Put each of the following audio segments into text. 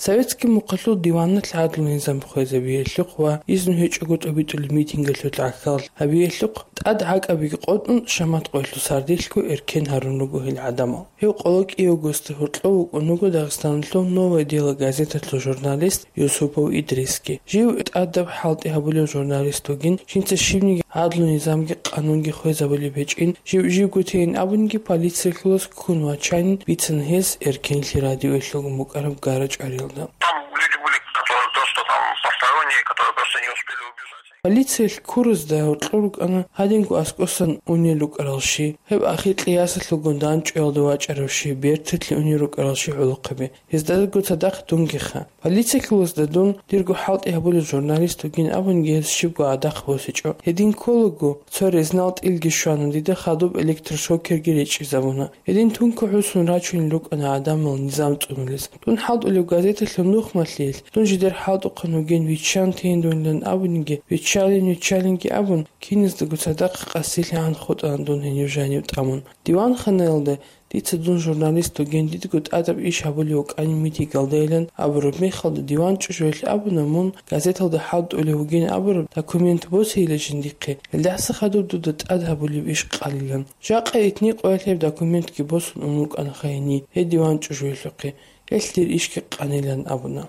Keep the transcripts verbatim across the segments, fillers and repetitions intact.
Советский мухъалъул диваналъ гӀадлу-низам хвезабиялъухъ ва изну гьечӀого тӀобитӀулеб митингалъулъ гӀахьаллъи гьабиялъухъ тӀад гӀакӀабиги къотӀун, шамат къоялъул сардилъго эркен гьарун руго гьел гӀадамал. Гьев къоло кӀиявгоста гьоркьов вукӀун вуго Дагъистаналъул «Новое дело» газеталъул журналист Юсупов Идрисги. Жив тӀадаб хӀалтӀи гьабулев журналист вугин, жинца щибниги гӀадлу-низамги къанунги хвезабулеб гьечӀин, жив живго тейин абунги, полициялъулас ккун вачанин бицана гьес эркенлъи радиоялъулгун букӀараб гара-чӀвариялда. Там люди были, которые просто там посторонние, которые просто не успели убежать. Полициялъ ккурузда гьоркьор рукӀана гьадинго аскӀосан унел рукӀарал щи. Гьеб ахикьи ясалъулгун данчӀоялда вачӀарав щи, берталъе унел рукӀарал щи гӀолохъаби. Гьездаго цадахъ дунгиха. Полициялъулазда дун дирго хӀалтӀи гьабулев журналист вугин абунги, гьес щибго гӀадахъ босичӀо. Гьедин кколаго, цо резнал тӀилги щвана, дида хадуб электрошокерги речӀчӀизабуна. Гьедин тункун хӀусун рачунел рукӀана гӀадамал низам цӀунулес. Дун хӀалтӀулев газеталъул нухмалъиялъ дун жидер хӀалтӀухъан вугин, виччан тейин дунилан абуниги, виччалин-виччалинги абун, киназдаго цадахъ къасилъагӀан хутӀана дун гьенив жанив тӀамун. Диванханаялда дица дун журналист вугин, дидго тӀадаб иш гьабулев вукӀанин митингалдайилан абураб мехалда, диван чӀужуялъ абуна, мун газеталда хӀалтӀулев вугин абураб документ босейила жиндихъе, гьелдаса хадуб дуда тӀад гьабулеб иш къалилан. Жакъа итни къоялъ гьеб документги босун ун вукӀана хайни гьедиван чӀужуялъухъе, гьелъ дир ишги къанилан абуна.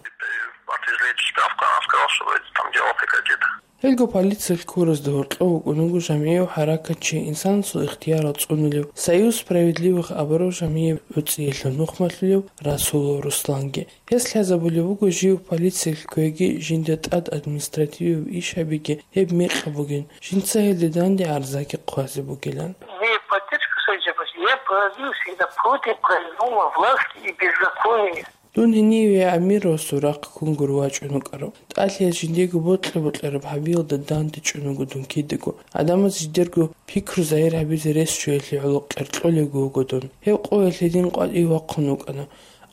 Отвезли эту справку, она сказала, что вроде там дело прекратит. Гьелго полициялъ ккурузда гьоркьов вукӀун вуго жамгӀияв хӀаракатчи, инсанасул ихтиярал цӀунулев «Союз справедливых» абурав жамгӀияб гӀуцӀиялъул нухмалъулев Расулов Русланги. Гьес лъазабулеб буго жив полициялъ кквеги, жинда тӀад административияб иш гьабиги гьеб мекъаб бугин, жинца гьелде данде гӀарзаги хъвазе бугилан. Имея поддержку своей семьи, я боролся всегда против произвола власти и беззакония. Дун гьениве Амировасул рахъ ккунгур вачӀун вукӀарав. ТӀалъиялъ жиндиего бокьа-бокьараб гьабиялда данде чӀун вуго дун кидаго. Гьадамаз жидерго пикру загьир гьабизе рес чуялъе гӀоло кьеркьолевго вуго дун. Гьеб къоялъ гьедин къватӀив вахъун вукӀана.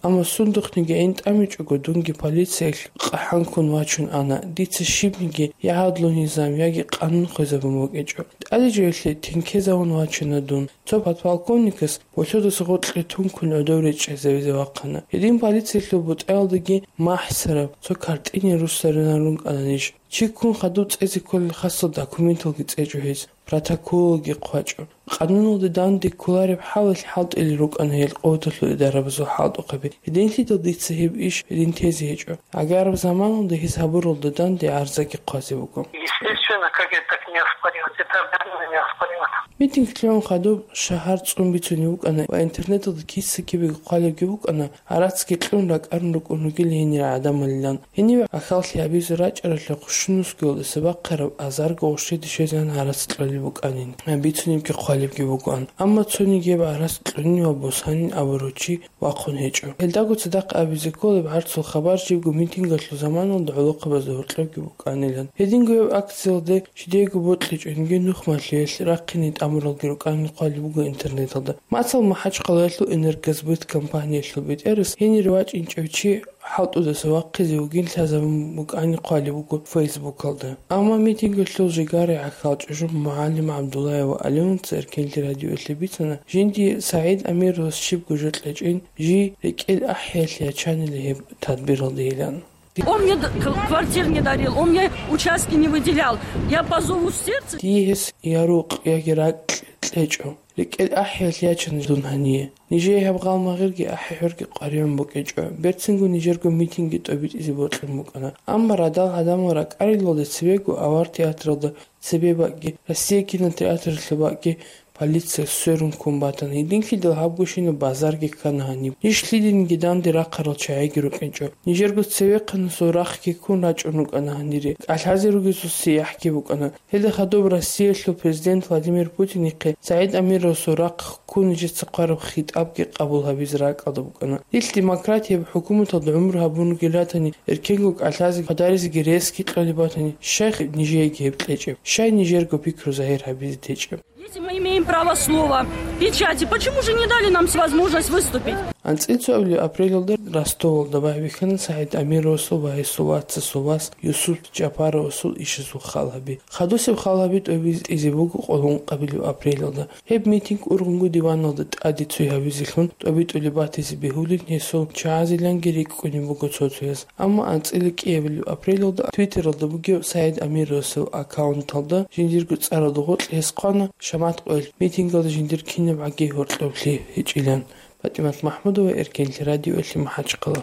Амма сундухъниги гӀин тӀамичӀого, дунги полициялъ къахӀан ккун вачун ана. Дица щибниги я гӀадлу низам, яги къанун хвезабун букӀинчӀо. ТӀадежиялъе тинкезавун вачана дун. Цо подполковникас болъодаса гъоркье тункун гӀодов речӀчӀайзавизе вахъана. Гьедин полициялъул бутӀаялдаги махӀсараб цо картине руссаринарун кӀананищ. Чи ккун хадуб цӀезе кколел хасал документалги цӀечӀо гьез, протоколалги хъвачӀо. Къануналда данде кколареб хӀалалъ хӀалтӀулел рукӀана гьел къуваталъул идарабазул хӀалтӀухъаби. Гьединлъидал дица гьеб иш гьедин тезе гьечӀо. ГӀагараб заманалда гьес гьабуралда данде гӀарзаги хъвазе буго. Естественно, как это так не оспаривать? Это обязательно не оспаривать. Митинг лъугӀун хадуб шагьар цӀун бицунеб букӀана ва интернеталда киса-кибего хъвалебги букӀана, гӀарацги кьун ракӀарун рукӀун ругел гьенир гӀадамалилан. Гьениве гӀахьаллъи гьабизе рачӀаралъухъ щунусгоялдаса бахъараб азарго гъущеде щвезегӀан гӀарац кьолеб букӀанин, бицунебги хъвалебги бугоан. Амма цониги гьеб гӀарац кьунин ва босанин абурав чи вахъун гьечӀо. Гьелдаго цадахъ абизе кколеб гӀарцул хабар жибго митингалъул заманалда гӀолохъабазда гьоркьобги букӀанилан. Гьединго гьеб акциялде жидеего бокьичӀониги нухмалъиялъ рахъине тӀамуралги рукӀанин хъвалеб буго интернеталда. Мацал МахӀачхъалаялъул «Энергосбыт» компаниялъул бетӀерас гьенир вачӀинчӀев чи хӀалтӀудаса вахъизе вугин лъазабун букӀанин хъвалеб буго Фейсбукалда. Амма митингалъул жигара гӀахьал чӀужу МугӀалим ГӀабдуллаева Алимовца Эркенлъи радиоялъе бицана, жинди СагӀид Амировас щибго жо кьечӀин, жий рекӀел ахӀиялъе ячанила гьеб тадбиралдейилан. Он мне д-, к-, квартир не дарил, он мне участки не выделял. Я по зову сердца. Дие гьес я рукъ, яги ракӀ кьечӀо. РекӀел ахӀиялъ ячана дун гьание. Нижее гьаб гъал-магъирги ахӀи-хӀурги къваригӀун букӀинчӀо. Берцинго нижерго митингги тӀобитӀизе бокьун букӀана. Амма радал гӀадамал ракӀарилалде цебего авар театралда цебе бакӀги, Россия кинотеатралъул бакӀги полиция сверун ккун батана. Гьединлъидал гьабгощинаб базарги ккана гьаниб. Ниж лъидениги данде рахъарал чагӀиги рукӀинчӀо. Нижерго цевехъанасул рахъги ккун рачӀун рукӀана гьанире. КӀалъазе ругезул сияхӀги букӀана. Гьелда хадуб Россиялъул президент Владимир Путинихъе СагӀид Амировасул рахъ ккун нижеца хъвараб хитӀабги къабул гьабизе ракӀалда букӀана. Дилъ демократияб хӀукуматалда гӀумру гьабун ругел ратани, эркенго кӀалъазе хъвадаризеги ресги кьолеб батани, щай нижееги гьеб кьечӀеб? Щай нижерго пикру загьир гьабизе течӀеб? Если мы имеем право слова, Печати. Почему же не дали нам возможность выступить? АнцӀила цоабилеб апрелалда Ростовалда байбихьана СагӀид Амировасул ва гьесул вацасул вас Юсуп Жапаровасул ишазул хал гьаби. Хадусеб хал гьаби тӀобитӀизе буго къоло ункъабилеб апрелалда. Гьеб митинг ургъунго диваналда тӀаде цой гьабизелъун тӀобитӀулеб батизе бегьулин гьесул чагӀазиланги рикӀкӀунеб буго цо-цояз. Амма анцӀила кӀиабилеб апрелалда Твиттералда бугеб СагӀид Амировасул аккаунталда жиндирго цӀаралда гъоркь гьес хъвана шамат къоялъ митингалда жиндир кинабгӀаги гьоркьоблъи гьечӀилан. ПатӀимат МахӀмудова, Эркенлъи радиоялъе МахӀачхъала.